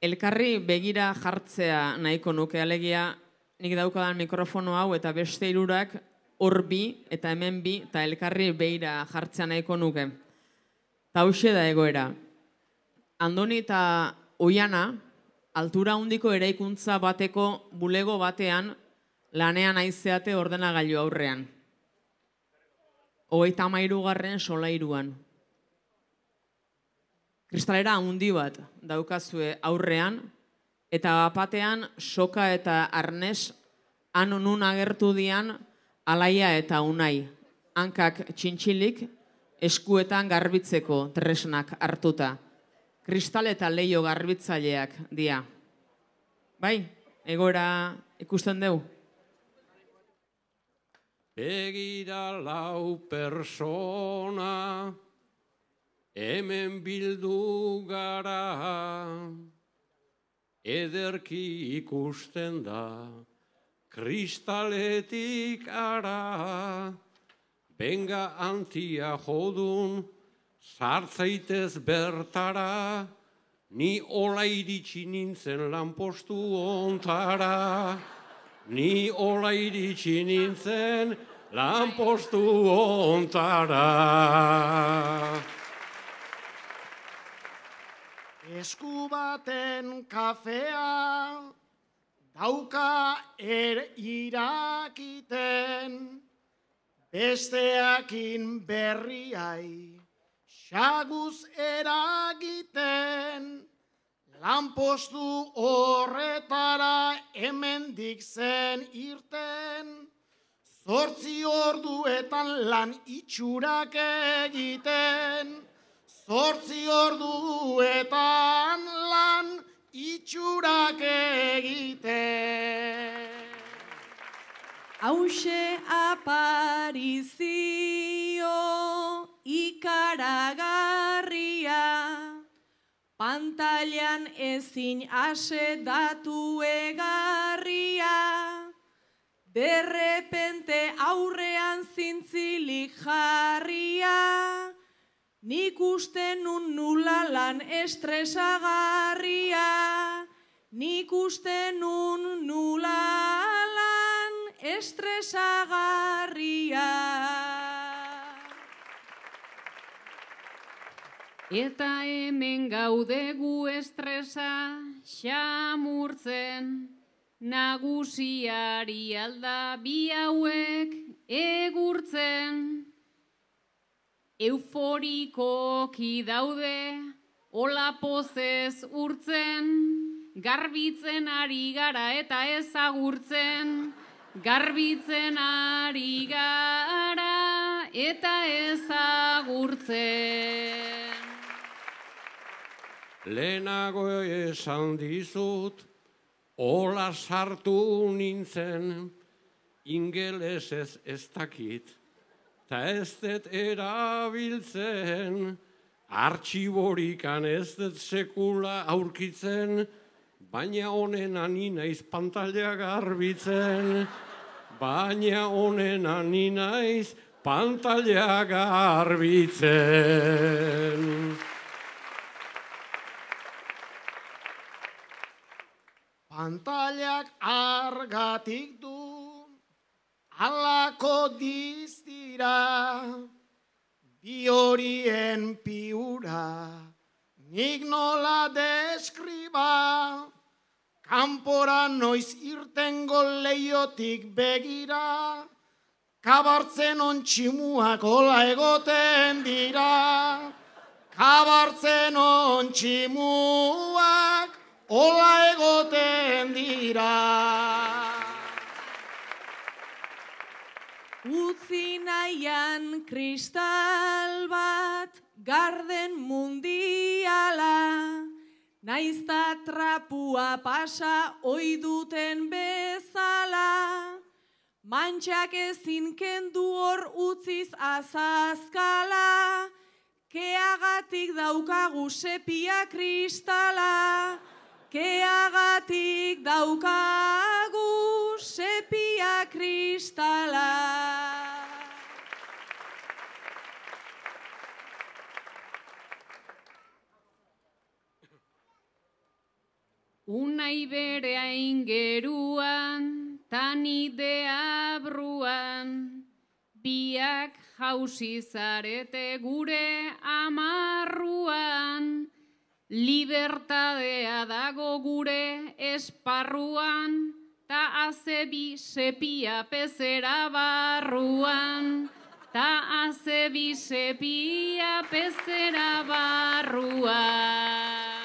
elkarri begira jartzea nahiko nuke, alegia nik daukadan mikrofono hau eta beste hirurak hor bi eta hemen bi eta elkarri begira jartzea nahiko nuke. Ta hauxe da egoera. Andoni eta Oiana, altura handiko eraikuntza bateko bulego batean lanean aizeate ordenagailu aurrean. 33. solairuan. Kristalera handi bat daukazue aurrean, eta bapatean soka eta arnes han nun agertu dian Alaia eta Unai, hankak txintxilik, eskuetan garbitzeko tresnak hartuta. Kristal eta leio garbitzaileak dia. Bai, egoera ikusten dugu? Begira lau persona, hemen bildu gara, ederki ikusten da, kristaletik ara, benga antia jodun, sartzaitez bertara, ni ola iritsi nintzen lanpostu ontara, ni ola iritsi nintzen lanpostu ontara. Esku baten kafea dauka irakiten, besteakin berriai xaguz eragiten, lanpostu horretara hemendik zen irten, 8 orduetan lan itxurak egiten, 8 orduetan lan itxurak egiten. Hauxe aparizio ikaragarria, pantailan ezin asedatu egarria, derrepente aurrean zintzilik jarria, nik uste nun nula lan estresagarria, nik uste nun nula lan estresagarria. Eta hemen gaude gu estresa xamurtzen, nagusiari alda bi hauek egurtzen. Euforikoki daude, hola pozez urtzen, garbitzen ari gara eta ezagurtzen, garbitzen ari gara eta ezagurtzen. Lehenago esan dizut, hola sartu nintzen, ingelesez ez dakit, ta ez dut erabiltzen, artxiborikan ez dut sekula aurkitzen, baina honen ani naiz pantaila garbitzen, baina honen ani naiz pantaila garbitzen. Pantailak argatik du, alako diztira, bi horien piura, nik nola deskriba, kanpora noiz irtengo leiotik begira, kabartzen ontximuak hola egoten dira, kabartzen ontximuak hola egoten dira. Utzi nahian kristal bat garden mundiala, naizta trapua pasa ohi duten bezala, mantxak ezin kendu hor utziz azazkala, keagatik daukagu sepia kristala, keagatik daukagu sepia kristala. unai berea ingeruan, tanide abruan, biak jausi zarete gure amarruan, libertadea dago gure esparruan, ta azebi sepia pezera barruan, ta azebi sepia pezera barruan.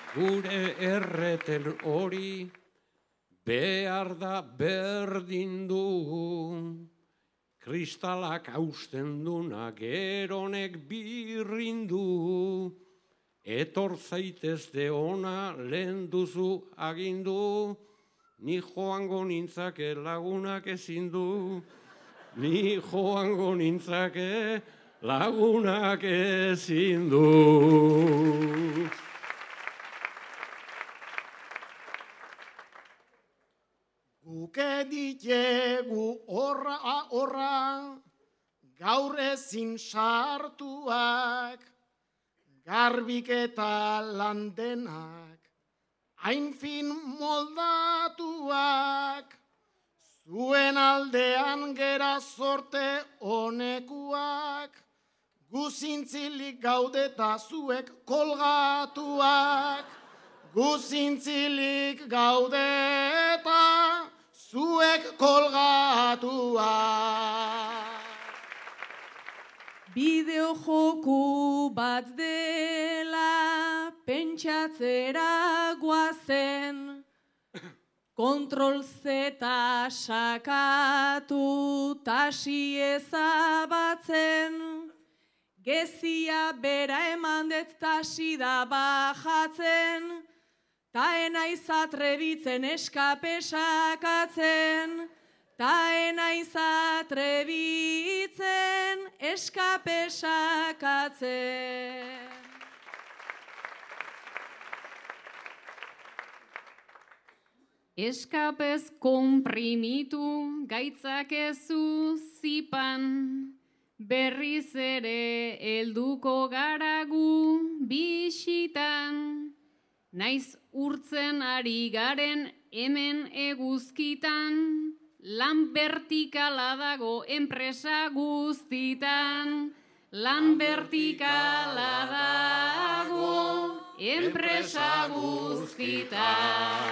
Gure erreten hori behar da berdin du, kristalak hausten duna geronek birrindu, etor zaitezte ona lehen duzu agindu, ni joango nintzake lagunak ezin du, ni joango nintzake lagunak ezin du. Guke ditegu horra, gaur ezin sartuak, garbik eta landenak, hain fin moldatuak, zuen aldean gera sorte honekuak, guzintzilik gaudeta zuek kolgatuak, guzintzilik gaudeta zuek kolgatuak. Bideo joku bat dela pentsatzera guazen, kontrol zeta sakatu tasi ezabatzen, gezia bera eman dut tasi da bajatzen, ta enaiz atrebitzen eskape sakatzen, ta enaiz atrebitzen eskape sakatzen. Eskapez konprimitu gaitzakezu zipan, berriz ere helduko garagu bisitan, naiz urtzen ari garen hemen eguzkitan, lan vertikala dago enpresa guztitan, lan vertikala dago enpresa guztitan.